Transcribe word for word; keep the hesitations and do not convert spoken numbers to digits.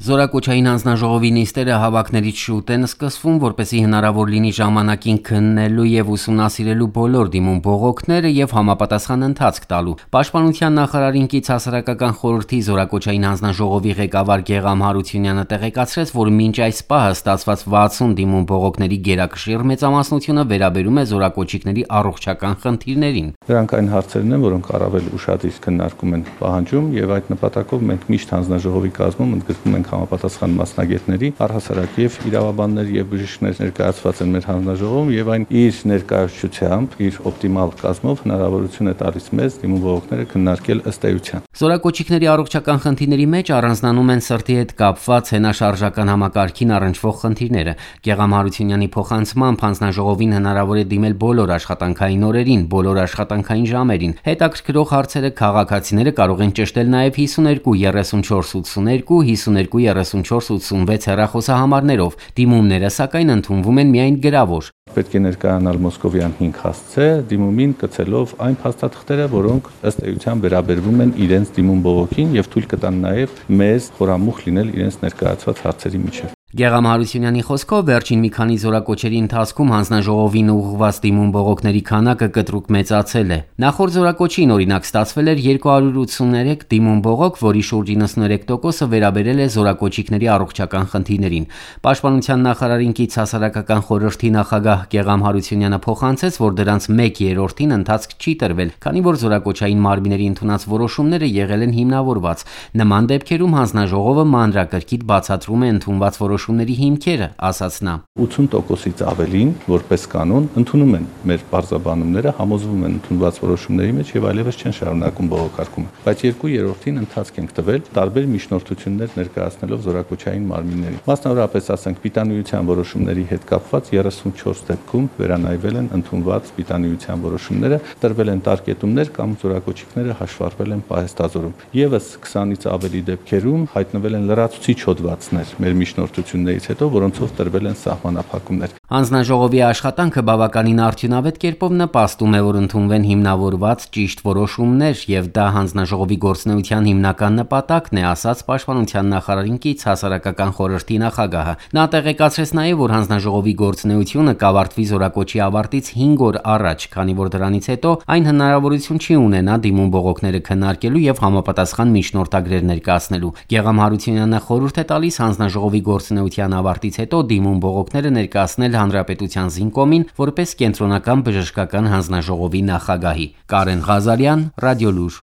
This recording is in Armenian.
Զորակոչային հանձնաժողովի նիստերը հավաքներից շուտ են սկսվում, որպեսզի հնարավոր լինի ժամանակին քննելու եւ ուսումնասիրելու բոլոր դիմում բողոքները եւ համապատասխան ընթացք տալու։ Պաշտպանության նախարարին կից հասարակական խորհրդի զորակոչային հանձնաժողովի ղեկավար Գեղամ Հարությունյանը տեղեկացրեց, որ մինչ այս պահը ստացված վաթսուն դիմում բողոքների գերակշիռ մեծամասնությունը վերաբերում է զորակոչիկների առողջական խնդիրներին։ Դրանք այն հարցերն են, որոնք առավել ուշադիր քննարկում են պահանջում եւ այդ նպատակով մենք միշտ հանձնաժողովի կազմում ընդգրկում ենք համապատասխան մասնագետների, առհասարակ եւ իրավաբաններ եւ բժիշկներ ներկայացված են մեր հանձնաժողովում եւ այն իր ներկայացուցությամբ, իր օպտիմալ կազմով հնարավորություն է տալիս մեզ դիմում բողոքները քննարկել ըստ էության։ Զորակոչիկների առողջական խնդիրների մեջ առանձնանում են սրտի հետ կապված հենաշարժական համակարգին առնչվող խնդիրները։ Գեղամ Հարությունյանի փոխանցմամբ հանձնաժողովին հնարավոր է դիմել բոլոր աշխատանքային օրերին, բոլոր աշխատանքային ժամերին։ Հետաքրքրող հարցերը քաղաքացիները կարող են ճշտել նաեւ հիսունհինգ երեսունչորս ութսուներկու, հիսունհինգ երեսունչորս ութսունվեց հեռախոսահամարներով։ Դիմումները սակայն ընդունվում են միայն գրավոր։ Պետք է ներկայանալ Մոսկովյան հինգ հասցե դիմումին կցելով այն փաստաթղթերը, որոնք ըստ էության վերաբերվում են իրենց դիմում բողոքին եւ թույլ կտան նաեւ մեզ խորամուխ լինել իրենց ներկայացված հարցերի միջև։ Գեղամ Հարությունյանի խոսքով վերջին մի քանի զորակոչերի ընթացքում հանձնաժողովին ուղղված դիմում բողոքների քանակը կտրուկ մեծացել է։ Նախորդ զորակոչին օրինակ ստացվել էր երկու հարյուր ութսուներեք դիմում բողոք, որի շուրջ իննսուններեք տոկոսը վերաբերել է զորակոչիկների առողջական խնդիրներին։ Պաշտպանության նախարարին կից հասարակական խորհրդի նախագահ Գեղամ Հարությունյանը փոխանցեց, որ դրանց մեկ երրորդին ընթացք չի տրվել, քանի որ զորակոչային մարմինների ընդունած որոշումները եղել են հիմնավորված։ Նման դեպքերում հանձնաժողովը մանրակրկիտ բացատրում է ընդունված որոշումների հիմքերը, ասաց նա։ ութսուն տոկոսից ավելին, որպես կանոն, ընդունում են մեր բարձրաբանումները, համոզվում են ընդունված որոշումների մեջ եւ այլևս չեն շարունակում բողոքարկումը։ Բայց երկու երրորդին ընթացք ենք տվել տարբեր միջնորդություններ ներկայացնելով զորակոչային մարմիններին։ Մասնավորապես ասենք պիտանիության որոշումների հետ կապված երեսունչորս դեպքում վերանայվել են ընդունված պիտանիության որոշումները, տրվել են տարկետումներ կամ զորակոչիկները հաշվառվել են պահեստազորում։ Եվս քսանից ավելի դեպքերում հայտնվել են լրացուցիչ հոդվածներ մեր միջնորդություններից հետո, որոնցով տրվել են սահմանափակումներ։ Հանձնաժողովի աշխատանքը բավականին արդյունավետ կերպով նպաստում է, որ ընդունվեն հիմնավորված ճիշտ որոշումներ, եւ դա հանձնաժողովի գործունեության հիմնական նպատակն է, ասաց պաշտպանության նախարարին կից հասարակական խորհրդի նախագահը։ Նա տեղեկացրեց նաեւ, որ հանձնաժողովի գործունեությունը կավարտվի զորակոչի ավարտից հինգ օր առաջ, քանի որ դրանից հետո այն հնարավորություն չի ունենա դիմում բողոքները քննարկելու եւ համապատասխան միջնորդագրեր ներկայացնելու։ Գեղամ Հարությունյանը խորհուրդ է տալիս հանձնաժողովի գործունեության ավարտից հետո դիմում բողոքները ներկայացնել Հանրապետության Զինկոմին որպես կենտրոնական բժշկական հանձնաժողովի նախագահի։ Կարեն Ղազարյան, Ռադիոլուր։